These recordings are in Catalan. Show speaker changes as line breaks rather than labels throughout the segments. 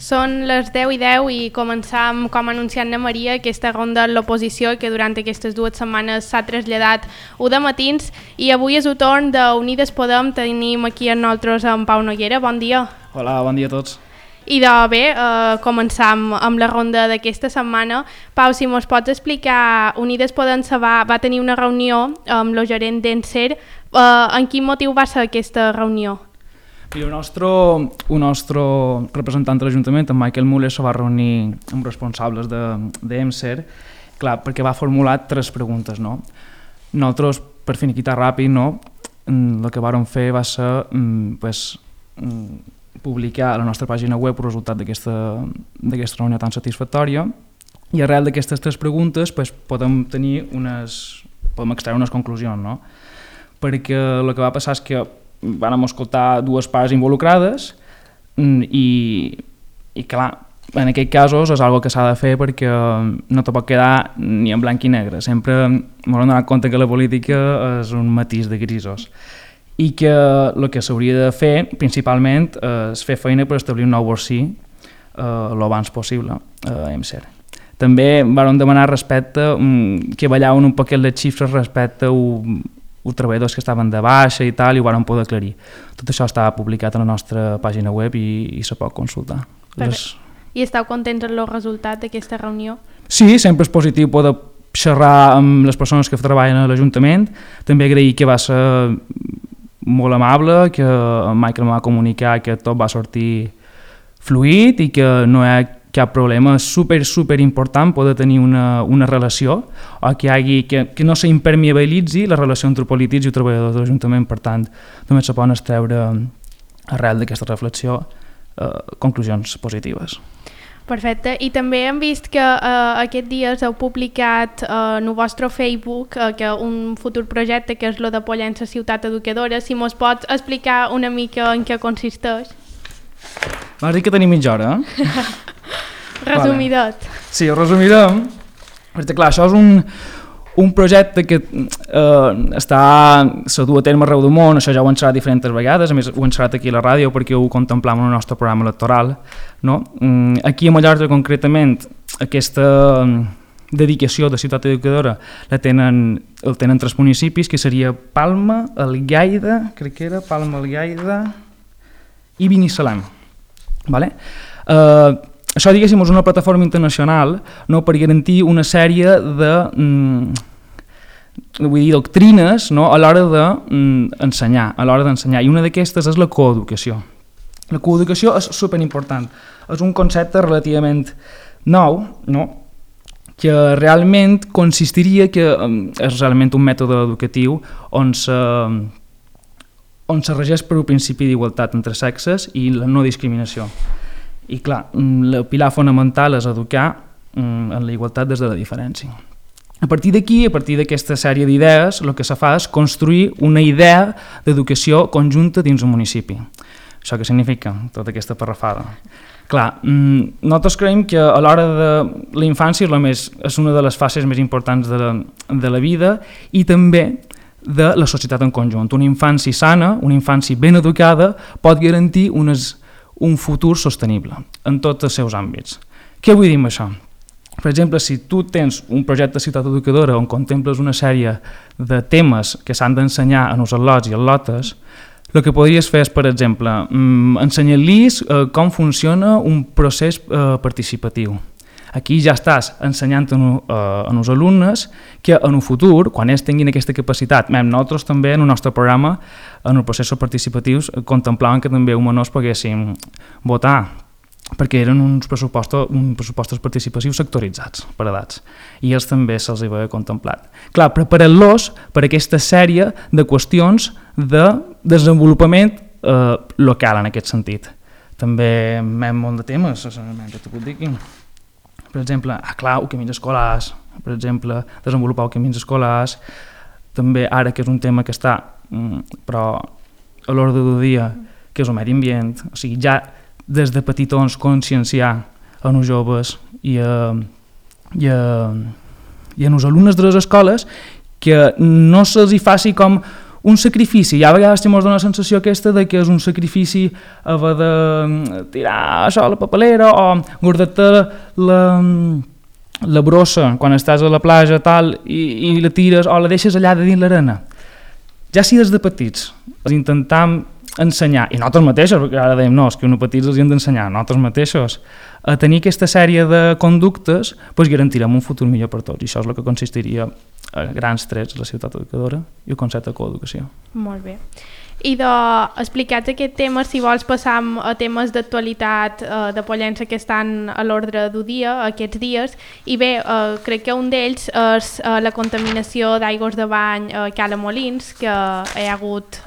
Són les 10:10 i començam, com ha anunciat na Maria, aquesta ronda de l'oposició que durant aquestes 2 setmanes s'ha traslladat de matins i avui és el torn d'Unides Podem. Tenim aquí amb nosaltres en Pau Noguera. Bon dia.
Hola, bon dia a tots.
I bé, començam amb la ronda d'aquesta setmana. Pau, si mos pots explicar, Unides Podem va tenir una reunió amb el gerent d'Encer. En quin motiu va ser aquesta reunió?
I el nostre representant de l'Ajuntament, en Michael Muller, se va reunir amb responsables d'Encer, clar, perquè va formular 3 preguntes. No? Nosaltres, per finiquitar ràpid, no? El que vàrem fer va ser publicar a la nostra pàgina web el resultat d'aquesta reunió tan satisfactòria i arrel d'aquestes 3 preguntes podem extreure unes conclusions. No? Perquè el que va passar és que vam escoltar 2 parts involucrades i clar, en aquests casos és una cosa que s'ha de fer perquè no te pot quedar ni en blanc i negre. Sempre m'hem donat compte que la política és un matís de grisos i que el que s'hauria de fer principalment és fer feina per establir un nou borsí l'abans possible a EMSER. També vam demanar respecte que ballaven un poquet les xifres respecte a els treballadors que estaven de baixa i tal, i ho vam poder aclarir. Tot això està publicat a la nostra pàgina web i se pot consultar.
I esteu contents amb el resultat d'aquesta reunió? Sí,
sempre és positiu poder xerrar amb les persones que treballen a l'Ajuntament. També agrair que va ser molt amable, que en Michael em va comunicar que tot va sortir fluid i que no hi ha cap problema. És super important poder tenir una relació o que no s'impermeabilitzi la relació entre polítics i treballadors de l'Ajuntament. Per tant, també se poden extreure arrel d'aquesta reflexió conclusions positives.
Perfecte. I també hem vist que aquests dies heu publicat en el vostre Facebook un futur projecte que és el de Pollença Ciutat Educadora. Si mos pots explicar una mica en què consisteix?
M'has dit que tenim mitja hora, eh?
Resumidet.
Vale. Sí, ho resumirem, perquè clar, això és un projecte que se du a terme arreu del món. Això ja ho hem xerrat diferents vegades, a més ho hem xerrat aquí a la ràdio perquè ho contemplam en el nostre programa electoral. No? Aquí a Mallorca concretament aquesta dedicació de ciutat educadora el tenen 3 municipis, que seria Palma, Algaida, crec que era Palma, Algaida i Binissalem. Vale? Això, diguéssim, és una plataforma internacional, no, per garantir una sèrie de doctrines, no, a l'hora d'ensenyar. I una d'aquestes és la coeducació. La coeducació és superimportant. És un concepte relativament nou, no, que realment consistiria que és realment un mètode educatiu on se regeix per un principi d'igualtat entre sexes i la no discriminació. I clar, el pilar fonamental és educar en la igualtat des de la diferència. A partir d'aquí, a partir d'aquesta sèrie d'idees, el que se fa és construir una idea d'educació conjunta dins un municipi. Això què significa, tota aquesta parrafada? Clar, nosaltres creiem que a l'hora de la infància és una de les fases més importants de la vida i també de la societat en conjunt. Una infància sana, una infància ben educada pot garantir un futur sostenible en tots els seus àmbits. Què vull dir amb això? Per exemple, si tu tens un projecte de ciutat educadora on contemples una sèrie de temes que s'han d'ensenyar en els al·lots i al·lotes, el que podries fer és, per exemple, ensenyar-los com funciona un procés participatiu. Aquí ja estàs ensenyant als alumnes que en el futur, quan ells tinguin aquesta capacitat, nosaltres també en el nostre programa, en els processos participatius, contemplàvem que també els menors poguessin votar, perquè eren uns pressupostos participatius sectoritzats per edats, i ells també se'ls havia contemplat. Clar, preparant-los per aquesta sèrie de qüestions de desenvolupament local en aquest sentit. També hem molt de temes, que t'ho puc dir aquí. Per exemple, els camins escolars, per exemple, desenvolupar els camins escolars, també ara que és un tema que està però a l'ordre del dia, que és el medi ambient, o sigui, ja des de petitons conscienciar en els joves i en els alumnes de les escoles que no se'ls hi faci com un sacrifici, i a vegades ens dona la sensació aquesta de que és un sacrifici haver de tirar això a la papelera o guardar-te la brossa quan estàs a la platja tal, i la tires o la deixes allà de dins l'arena. Ja si des de petits intentam ensenyar, i nosaltres mateixos, perquè ara dèiem no, és que uns petits els hem d'ensenyar, nosaltres mateixos, a tenir aquesta sèrie de conductes, doncs garantirem un futur millor per tots, i això és el que consistiria a grans trets la ciutat educadora i el concepte de coeducació.
Molt bé. I explicats aquest tema, si vols passam a temes d'actualitat de Pollença que estan a l'ordre del dia aquests dies, i bé, crec que un d'ells és la contaminació d'aigües de bany a Cala Molins, que hi ha hagut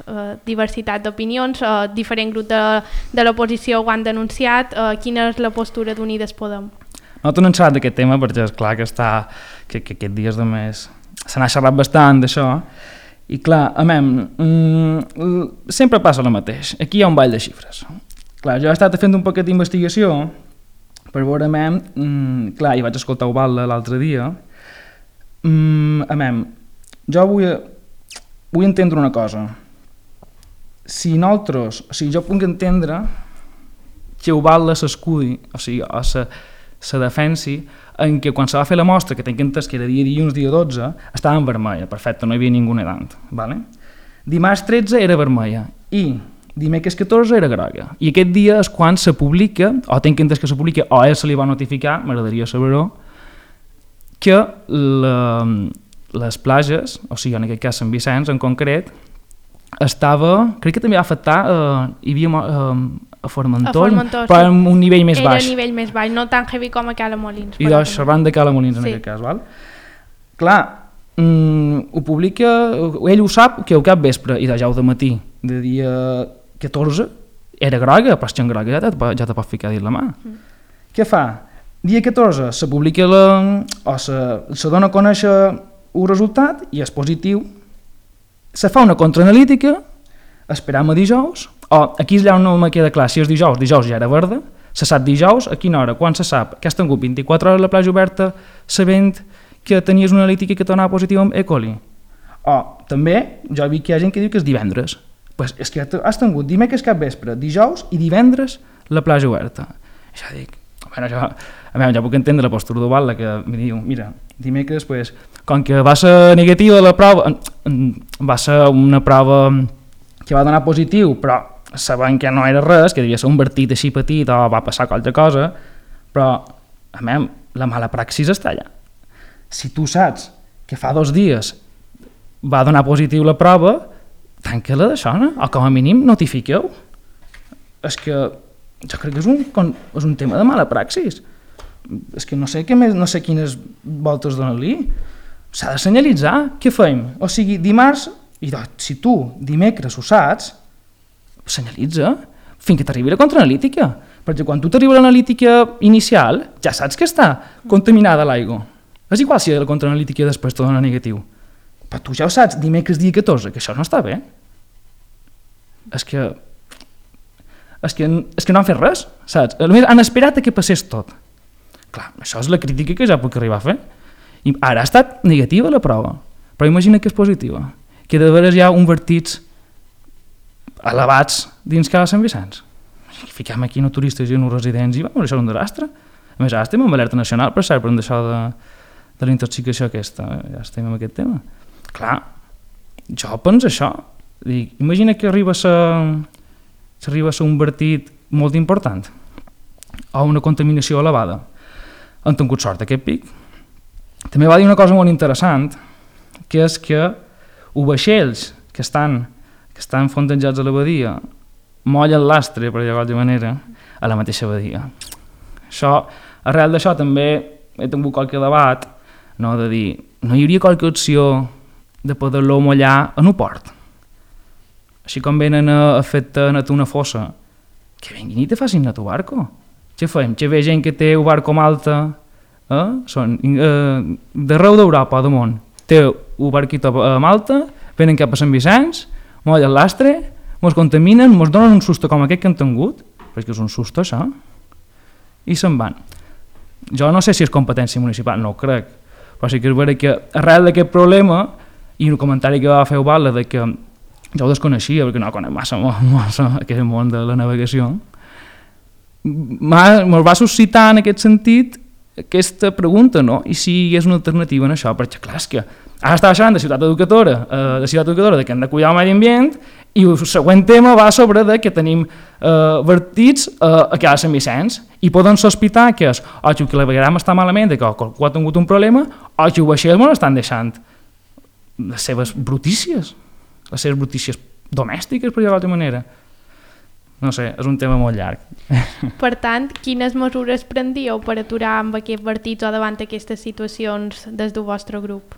diversitat d'opinions, diferent grup de l'oposició ho han denunciat. Quina és la postura d'Unides Podem?
Nosaltres no hem xerrat d'aquest tema perquè és clar que aquests dies de més se n'ha xerrat bastant d'això. I clar, sempre passa el mateix. Aquí hi ha un ball de xifres. Clar, jo he estat fent un poquet d'investigació per veure, clar, i vaig escoltar Ubalda l'altre dia. Jo vull entendre una cosa. Si jo puc entendre que Ubalda s'escudi, o sigui, se defensi en què quan se va fer la mostra, que tinc entès que era dia dilluns, dia 12, estava en vermella, perfecte, no hi havia ningú nedant. Vale? Dimarts 13 era vermella i dimecres 14 era groga. I aquest dia és quan se publica, o tinc entès que se publica, o se li va notificar, m'agradaria saber-ho, que les plages, o sigui, en aquest cas Sant Vicenç en concret, crec que també va afectar, hi havia a Formentor, però a un nivell més baix.
Era a nivell més baix, no tan heavy com a Cala Molins.
I doncs xerrant de Cala Molins en aquest cas, val? Clar, ho publica, ell ho sap que al cap vespre, i ja al matí de dia 14, era groga, però si en groga ja te pot ficar dins la mà. Què fa? Dia 14 se publica o se dona a conèixer un resultat i és positiu, se fa una contraanalítica, esperam a dijous, o aquí és allà on no me queda clar, si és dijous ja era verda, se sap dijous, a quina hora, quan se sap que has tingut 24 hores a la platja oberta sabent que tenies una analítica que t'anava positiva amb E. coli. O també, jo he vist que hi ha gent que diu que és divendres. Pues és que has tingut dimecres cap vespre, dijous i divendres la platja oberta. I jo dic, ja puc entendre la postura d'Ubalda que em diu, mira, dimecres, pues, com que va ser negativa la prova, va ser una prova que va donar positiu, però sabent que no era res, que devia ser un vertit així petit o va passar qualsevol cosa, però la mala praxis està allà. Si tu saps que fa 2 dies va donar positiu la prova, tanca-la d'això, no? O com a mínim notifiqueu. És que jo crec que és un tema de mala praxis. És que no sé què més, no sé quines voltes donar-li. S'ha de senyalitzar. Què fem? O sigui, dimarts, i si tu dimecres ho saps, senyalitza fins que t'arribi la contraanalítica, perquè quan tu t'arriba l'analítica inicial ja saps que està contaminada l'aigua. És igual si la contraanalítica després te dona negatiu, però tu ja ho saps dimecres dia 14, que això no està bé. És que no han fet res, saps? Han esperat a que passés tot. Clar, això és la crítica que ja puc arribar a fer. I ara ha estat negativa la prova, però imagina que és positiva, que de veres hi ha un vertits elevats dins Cala Sant Vicenç. Fiquem aquí no turistes i no residents i això és un desastre. A més, ara estem amb alerta nacional, per cert, per això de la intoxicació aquesta. Ja estem amb aquest tema. Clar, jo penso això. Dic, imagina que arriba a ser un vertit molt important o una contaminació elevada. Han tingut sort aquest pic. També va dir una cosa molt interessant, que és que els vaixells que estan fondejats a la badia mollen l'astre, per dir-ho d'alguna manera, a la mateixa badia. Arrel d'això també he tingut qualque debat, no, de dir, no hi hauria qualque opció de poder-lo mollar en un port. Així com venen a fer-te net una fossa, que vinguin i te facin net un barco. Què fem? Que ve gent que té un barco a Malta, d'arreu d'Europa o del món, té un barquito a Malta, venen cap a Sant Vicenç, mollen l'astre, ens contaminen, ens donen un susto com aquest que han tingut, perquè és un susto això, i se'n van. Jo no sé si és competència municipal, no ho crec, però sí que és vera que arrel d'aquest problema, i un comentari que va fer Ubalda de que jo ho desconeixia perquè no conec massa aquest món de la navegació, me'l va suscitar en aquest sentit aquesta pregunta, no? I si hi és una alternativa en això? Perquè clar, és que ara estava xerrant de ciutat educadora, de que hem de cuidar el medi ambient, i el següent tema va sobre de que tenim vertits a cada Sant Vicenç, i poden sospitar que és o que el clavegueram està malament, que qualcú ha tingut un problema, o que el vaixell mos estan deixant les seves brutícies domèstiques, per dir-ho d'altra manera. No sé, és un tema molt llarg.
Per tant, quines mesures prendríeu per aturar amb aquests vertits o davant aquestes situacions des del vostre grup?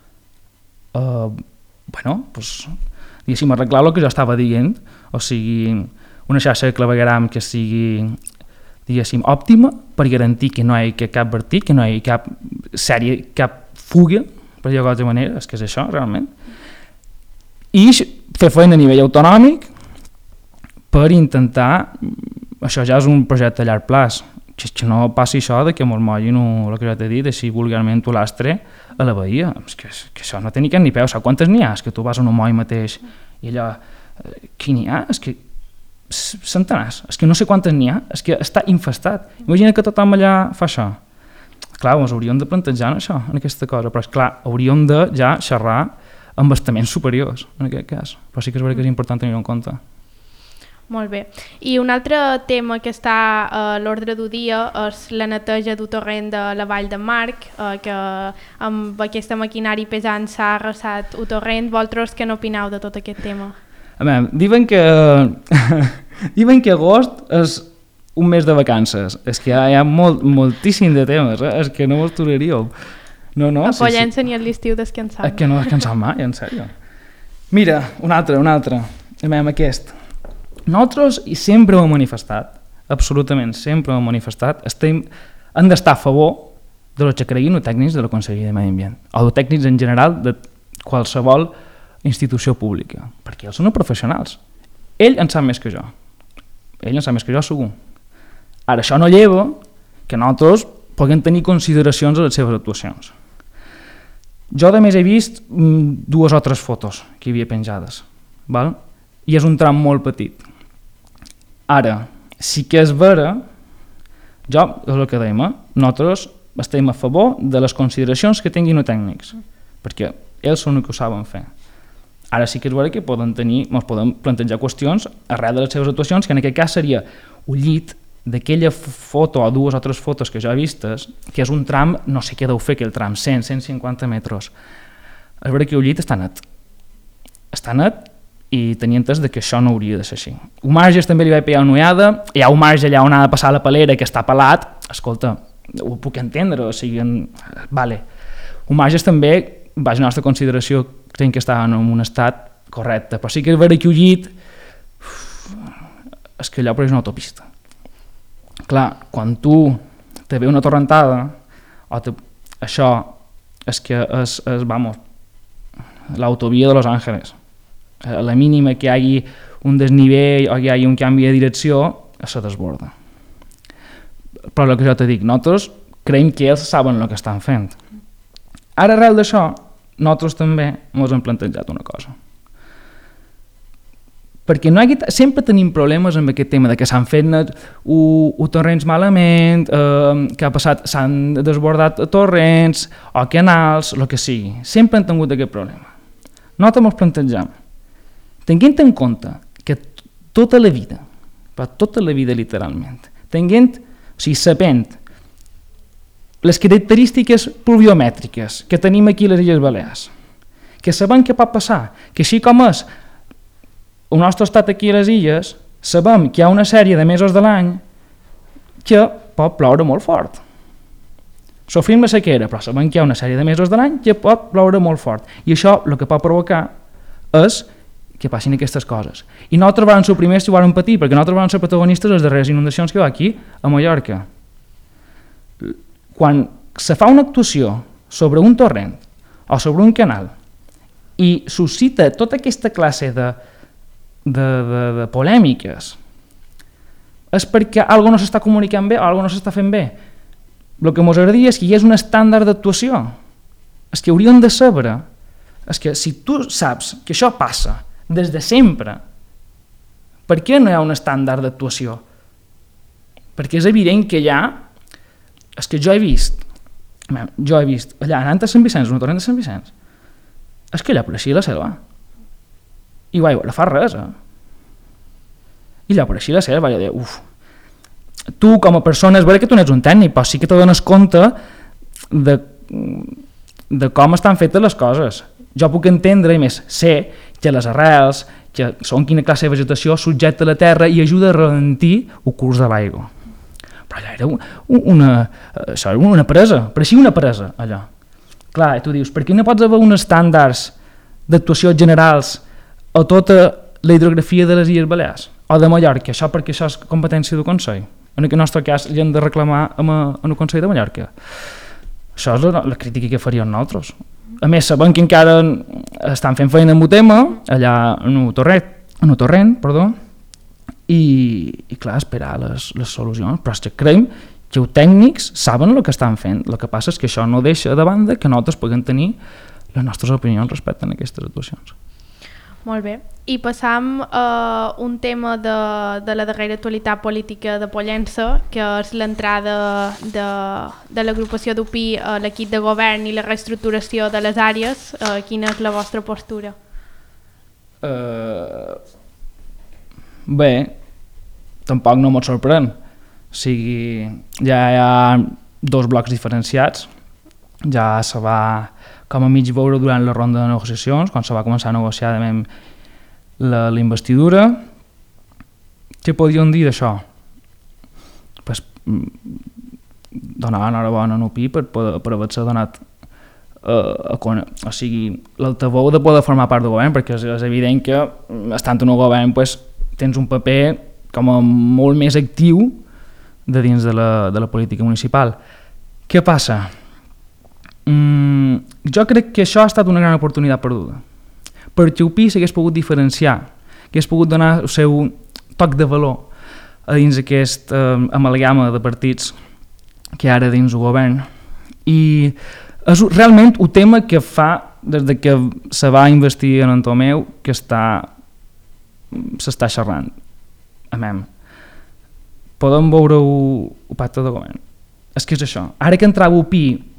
Diguéssim, arreglar el que jo estava dient, o sigui, una xarxa de clavegueram que sigui, diguéssim, òptima per garantir que no hi hagi cap vertit, que no hi hagi cap fuga, per dir-ho d'altra manera, és que és això, realment. I fer feina a nivell autonòmic per intentar, això ja és un projecte a llarg plaç, que no passi això de que mos mollin el que ja t'he dit, així vulgarment un lastre a la bahia, és que això no té ni cap ni peu, saps quantes n'hi ha? És que tu vas a un moll mateix i allò, qui n'hi ha? És que centenars, és que no sé quantes n'hi ha, és que està infestat. Imagina que tothom allà fa això. Clar, ens hauríem de plantejar en això, en aquesta cosa, però és clar, hauríem de ja xerrar amb estaments superiors, en aquest cas, però sí que és veritat que és important tenir-ho en compte.
Molt bé. I un altre tema que està a l'ordre del dia és la neteja del torrent de la Vall de Marc, que amb aquesta maquinari pesant s'ha arrasat el torrent. Vosaltres què n'opineu de tot aquest tema?
Diuen que agost és un mes de vacances. És que hi ha moltíssim de temes, és que no mos aturaríeu.
A Pollença ni a l'estiu descansant.
És que no descansam mai, en sèrio. Mira, un altre. Aquest. Nosaltres, i sempre ho hem manifestat, absolutament sempre ho hem manifestat, hem d'estar a favor de los que creguin els tècnics de la Conselleria de Medi Ambient, o els tècnics en general de qualsevol institució pública, perquè ells són professionals. Ell en sap més que jo. Segur. Ara, això no lleva que nosaltres puguem tenir consideracions a les seves actuacions. Jo, a més, he vist 2 o 3 fotos que hi havia penjades, val? I és un tram molt petit. Ara, sí que és vera, jo, és el que dèiem, nosaltres estem a favor de les consideracions que tinguin els tècnics, perquè ells són els que ho saben fer. Ara sí que és vera que ens podem plantejar qüestions arrel de les seves actuacions, que en aquest cas seria un llit d'aquella foto o 2 o 3 fotos que jo he vistes, que és un tram, no sé què deu fer aquell tram, 100-150 metres. És vera que el llit està net. I tenia entès que això no hauria de ser així. Un marge també li va pegar una ullada, hi ha un marge allà on ha de passar la palera que està pelat, escolta, ho puc entendre, o sigui, vale. Un marge també, vaja, la nostra consideració, creiem que està en un estat correcte, però sí que és vera que el llit, és que allò és una autopista. Clar, quan tu te ve una torrentada, això és que és l'autovia de Los Ángeles. A la mínima que hi hagi un desnivell o que hi hagi un canvi de direcció, se desborda. Però el que jo te dic, nosaltres creiem que ells saben el que estan fent. Ara, arrel d'això, nosaltres també ens hem plantejat una cosa. Perquè sempre tenim problemes amb aquest tema de que s'han fet torrents malament, que ha passat, s'han desbordat torrents o canals, el que sigui. Sempre hem tingut aquest problema. Nosaltres ens plantegem, tenint en compte que tota la vida, però tota la vida literalment, sabent les característiques pluviomètriques que tenim aquí a les Illes Balears, que sabem què pot passar, que així com és el nostre estat aquí a les illes, sabem que hi ha una sèrie de mesos de l'any que pot ploure molt fort. Sofrim la sequera, però sabem que hi ha una sèrie de mesos de l'any que pot ploure molt fort. I això el que pot provocar és que passin aquestes coses. I nosaltres vam ser els primers que ho vam patir, perquè nosaltres vam ser protagonistes de les darreres inundacions que hi va aquí, a Mallorca. Quan se fa una actuació sobre un torrent o sobre un canal i suscita tota aquesta classe de polèmiques, és perquè alguna no s'està comunicant bé o alguna no s'està fent bé. El que ens agradaria és que hi hagués un estàndard d'actuació. És que hauríem de saber, és que si tu saps que això passa des de sempre. Per què no hi ha un estàndard d'actuació? Perquè és evident que allà, és que jo he vist allà anant a Sant Vicenç, un torrent de Sant Vicenç, és que allà apareixia la selva. I vaig veure fa res, I allà apareixia la selva, vaig dir, tu com a persona, és vera que tu no ets un tècnic, però sí que te dones compte de com estan fetes les coses. Jo puc entendre, i més, sé que les arrels, que són quina classe de vegetació subjecta la terra i ajuda a ralentir el curs de l'aigua. Però allà era una presa, pareixia una presa, allò. Clar, tu dius, per què no pots haver uns estàndards d'actuació generals a tota la hidrografia de les Illes Balears o de Mallorca? Això perquè això és competència del Consell. En aquest nostre cas li hem de reclamar en el Consell de Mallorca. Això és la crítica que faríem nosaltres. A més, sabem que encara estan fent feina amb el tema, allà en el torrent, i clar, esperar les solucions, però és que creiem que els tècnics saben el que estan fent. El que passa és que això no deixa de banda que nosaltres puguem tenir les nostres opinions respecte a aquestes actuacions.
Molt bé. I passam a un tema de la darrera actualitat política de Pollença, que és l'entrada de l'agrupació d'UPI a l'equip de govern i la reestructuració de les àrees. Quina és la vostra postura?
Bé, tampoc no m'ho sorprèn. O sigui, ja hi ha dos blocs diferenciats. Ja se va com a mig veure durant la ronda de negociacions, quan se va començar a negociar la investidura. Què podíem dir d'això? Pues, donar l'enhorabona a UPI per haver-se donat o sigui, l'altaveu de poder formar part del govern, perquè és evident que estant en el govern pues, tens un paper com a molt més actiu de dins de la política municipal. Què passa? Jo crec que això ha estat una gran oportunitat perduda, perquè UPI s'hagués pogut diferenciar, hagués pogut donar el seu toc de valor a dins aquest amalgama de partits que hi ha ara dins el govern, i és realment un tema que fa des de que se va investir en Tomeu que s'està xerrant. Podem veure el pacte de govern. És que és això. Ara que entrava UPI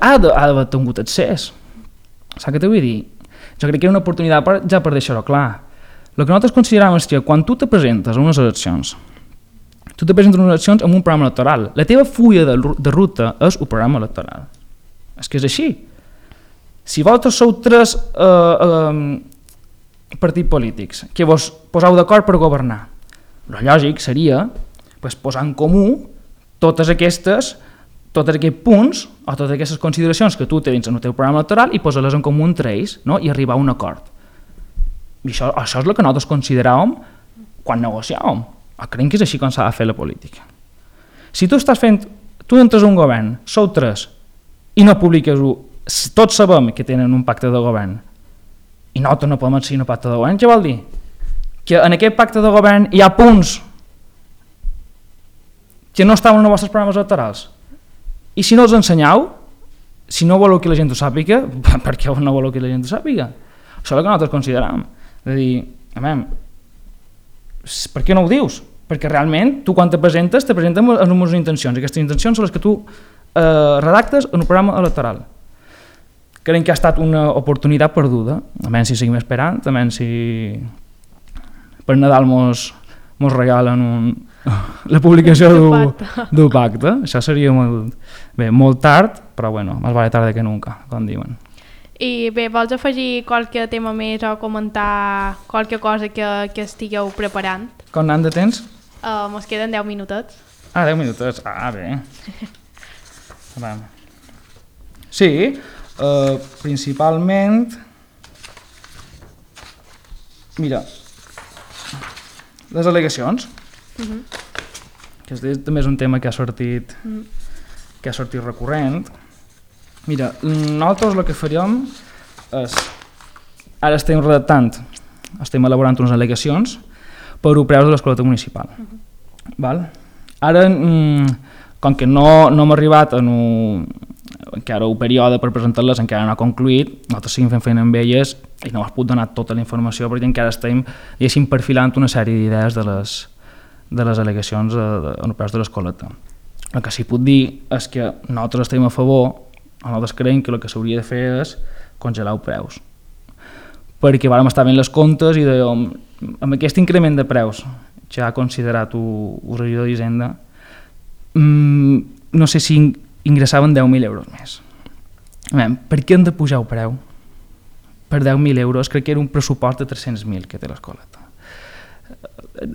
ha d'haver tingut accés. Saps què t'ho vull dir? Jo crec que era una oportunitat ja per deixar-ho clar. El que nosaltres considerem és que quan tu te presentes a unes eleccions, amb un programa electoral. La teva fulla de ruta és el programa electoral. És que és així. Si vosaltres sou 3 partits polítics que vos poseu d'acord per governar, el lògic seria posar en comú tots aquests punts o totes aquestes consideracions que tu tens dins el teu programa electoral i posar-les en comú entre ells, no? I arribar a un acord. I això és el que nosaltres consideràvem quan negociàvem. Creiem que és així com s'ha de fer la política. Si tu entres a un govern, sou 3 i no publiques-ho, tots sabem que tenen un pacte de govern i nosaltres no podem seguir un pacte de govern, què vol dir? Que en aquest pacte de govern hi ha punts que no estaven en els vostres programes electorals. I si no els ensenyeu, si no voleu que la gent ho sàpiga, per què no voleu que la gent ho sàpiga? Això és el que nosaltres considerem. És a dir, per què no ho dius? Perquè realment tu quan te presentes amb unes intencions. Aquestes intencions són les que tu redactes en un programa electoral. Creiem que ha estat una oportunitat perduda. A menys si seguim esperant, a menys si per Nadal mos regalen la publicació d'un pacte. Això seria molt tard, però bueno, més vale tard que nunca, com diuen.
I bé, vols afegir qualque tema més o comentar qualque cosa que estigueu preparant?
Com n'han de temps?
Mos queden 10 minutets.
10 minutets, bé. Sí, principalment, mira, les al·legacions, que també és un tema que ha sortit recurrent. Mira, nosaltres el que faríem és, ara estem redactant, estem elaborant unes al·legacions per a preus de l'escoleta municipal. Ara, com que no hem arribat en encara un període per presentar-les encara no ha concluït, nosaltres seguim fent feina amb elles i no us puc donar tota la informació perquè encara estem, diguéssim, perfilant una sèrie d'idees de les al·legacions europees de l'escoleta. El que sí puc dir és que nosaltres estem a favor, nosaltres creiem que el que s'hauria de fer és congelar els preus. Perquè vam estar veient les comptes i dèiem, amb aquest increment de preus que ha considerat el regidor d'Hisenda, no sé si ingressaven 10.000 euros més. Per què hem de pujar el preu? Per 10.000 euros crec que era un pressupost de 300.000 que té l'escoleta.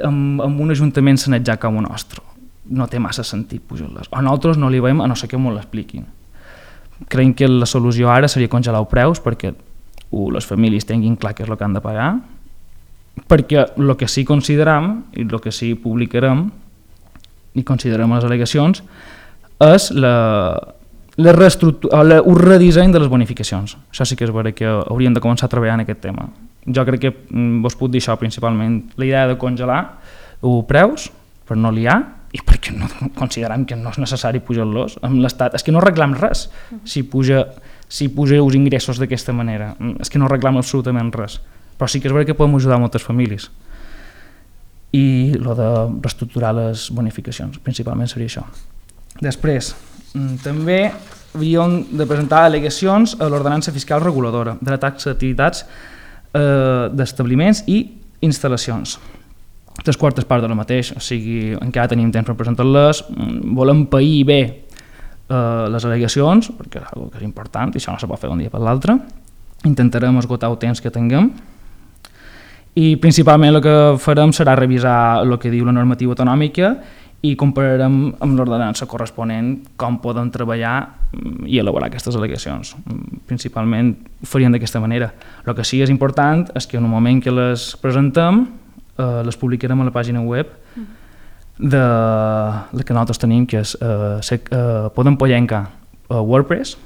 Amb un ajuntament sanejat com el nostre no té massa sentit pujar-les. A nosaltres no li veiem, a no ser que m'ho l'expliquin. Creiem que la solució ara seria congelar els preus perquè les famílies tinguin clar què és el que han de pagar, perquè el que sí consideram i el que sí publicarem i considerem les al·legacions és un redisseny de les bonificacions. Això sí que és vera que hauríem de començar a treballar en aquest tema. Jo crec que vos puc dir això principalment, la idea de congelar els preus per no liar i perquè no considerem que no és necessari pujar-los amb l'Estat. És que no arreglam res si puja els ingressos d'aquesta manera. És que no arreglam absolutament res. Però sí que és vera que podem ajudar moltes famílies. I el de reestructurar les bonificacions, principalment seria això. Després, també havíem de presentar al·legacions a l'ordenança fiscal reguladora de la taxa d'activitats d'establiments i instal·lacions. 3/4 part de la mateix, o sigui, encara tenim temps per presentar-les, volem pair bé les al·legacions, perquè és una cosa que és important i això no se pot fer d'un dia per l'altre. Intentarem esgotar el temps que tinguem i principalment el que farem serà revisar el que diu la normativa autonòmica i compararem amb l'ordenança corresponent com podem treballar i elaborar aquestes al·legacions. Principalment ho faríem d'aquesta manera. El que sí és important és que en el moment que les presentem les publicarem a la pàgina web de la que nosaltres tenim, que és Podem Pollenca WordPress,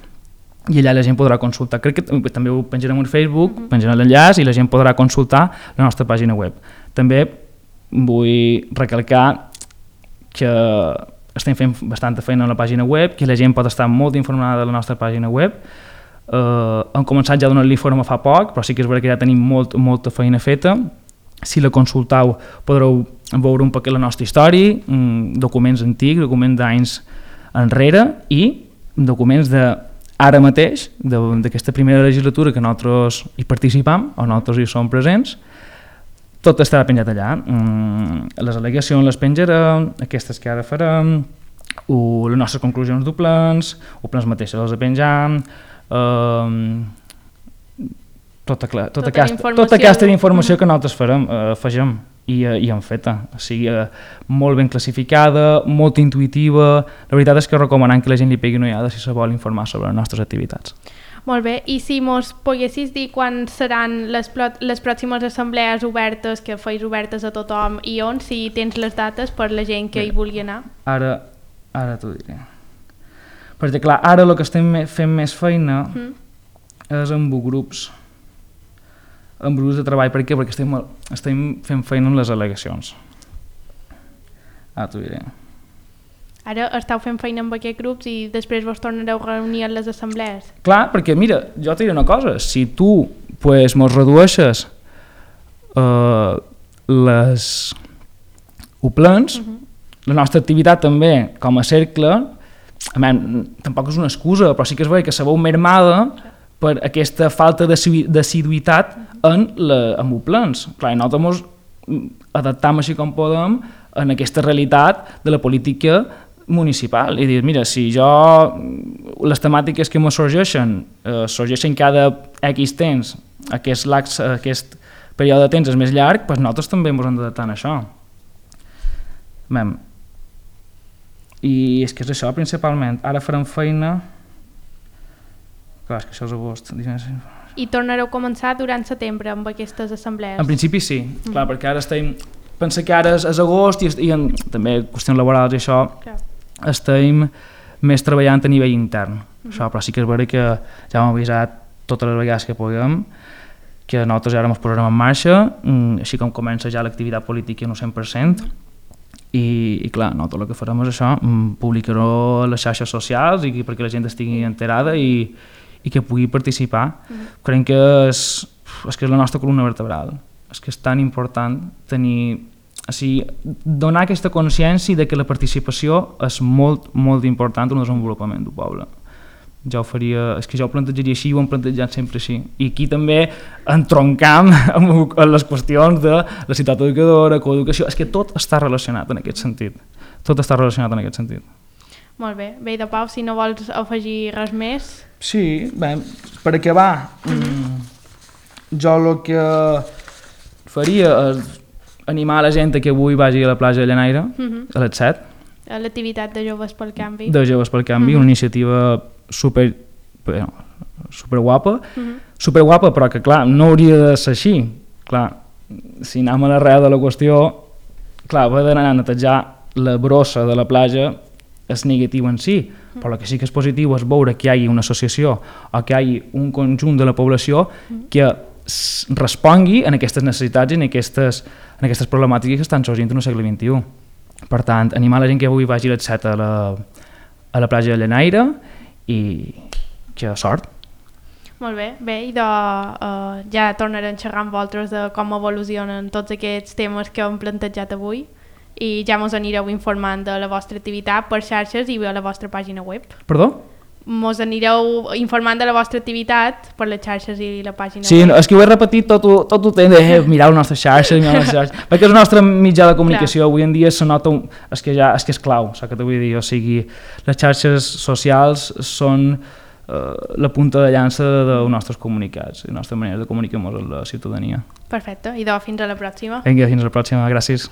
i allà la gent podrà consultar. Crec que també ho penjarem a Facebook, penjarem l'enllaç i la gent podrà consultar la nostra pàgina web. També vull recalcar que estem fent bastanta feina a la pàgina web, que la gent pot estar molt informada de la nostra pàgina web. Hem començat ja a donar-li forma fa poc, però sí que és vera que ja tenim molta feina feta. Si la consultau podreu veure un poquet la nostra història, documents antics, documents d'anys enrere i documents ara mateix, d'aquesta primera legislatura que nosaltres hi participam, o nosaltres hi som presents. Tot estarà penjat allà. Les al·legacions les penjarem, aquestes que ara farem, les nostres conclusions dels plans, els plans mateixos els penjam, tota aquesta informació que nosaltres afegim i hem feta, o sigui, molt ben classificada, molt intuïtiva. La veritat és que recomanem que la gent li pegui una ullada si se vol informar sobre les nostres activitats.
Molt bé, i si mos poguessis dir quan seran les pròximes assemblees obertes, que feis obertes a tothom i on, si tens les dates per la gent que hi vulgui anar?
Ara t'ho diré. Perquè clar, ara el que estem fent més feina és amb grups de treball. Per què? Perquè estem fent feina amb les al·legacions. T'ho diré.
Ara esteu fent feina amb aquests grups i després vos tornareu a reunir a les assemblees?
Clar, perquè mira, jo t'ho diré una cosa, si tu mos redueixes les plans, la nostra activitat també com a cercle, tampoc és una excusa, però sí que és vera que se veu mermada per aquesta falta d'assiduïtat amb els plans. Clar, nosaltres ens adaptam així com podem en aquesta realitat de la política municipal i dir, mira, si les temàtiques que me sorgeixen cada X temps, aquest període de temps és més llarg, doncs nosaltres també ens hem d'adaptar a això. I és que és això principalment. Ara farem feina. Clar, és que això és agost.
I tornareu a començar durant setembre amb aquestes assemblees? En
principi sí, clar, perquè ara estem... Pensa que ara és agost i també qüestions laborals i això, estem més treballant a nivell intern. Això, però sí que és vera que ja hem avisat totes les vegades que puguem que nosaltres ara ens posarem en marxa, així com comença ja l'activitat política en un 100%, i clar, no, tot el que farem és això, publicar-ho a les xarxes socials i perquè la gent estigui enterada i que pugui participar. Crec que és que és la nostra columna vertebral, és que és tan important tenir, donar aquesta consciència de que la participació és molt, molt important en el desenvolupament del poble. Jo ho faria, és que jo ho plantejaria així i ho hem plantejat sempre així. I aquí també entroncam amb les qüestions de la ciutat educadora, coeducació, és que tot està relacionat en aquest sentit. Tot està relacionat en aquest sentit.
Molt bé. Bé, de Pau, si no vols afegir res més...
Sí, bé, per acabar, jo el que faria és animar la gent que avui vagi a la platja de Llanaire, a les 7.
A l'activitat de Joves pel Canvi.
De Joves pel Canvi, una iniciativa super guapa, super guapa, però que clar, no hauria de ser així. Clar, si anem a l'arrel de la qüestió, clar, haver d'anar a netejar la brossa de la platja és negatiu en si, però el que sí que és positiu és veure que hi hagi una associació o que hi hagi un conjunt de la població que respongui en aquestes necessitats i en aquestes problemàtiques que estan sorgint en el segle XXI. Per tant, animar la gent que avui vagi a les 7 a la platja de Llanaire i que sort.
Molt bé, i ja tornarem a xerrar amb vosaltres de com evolucionen tots aquests temes que hem plantejat avui i ja mos anireu informant de la vostra activitat per xarxes i a la vostra pàgina web.
Perdó?
Mos anireu informant de la vostra activitat per les xarxes i la pàgina web.
Sí, és que ho he repetit tot el temps de mirar les nostres xarxes, perquè és el nostre mitjà de comunicació. Avui en dia se nota, és que és clau, saps què t'ho vull dir? O sigui, les xarxes socials són la punta de llança dels nostres comunicats, la nostra manera de comunicar-nos amb la ciutadania.
Perfecte, i fins a la pròxima.
Vinga, fins a la pròxima, gràcies.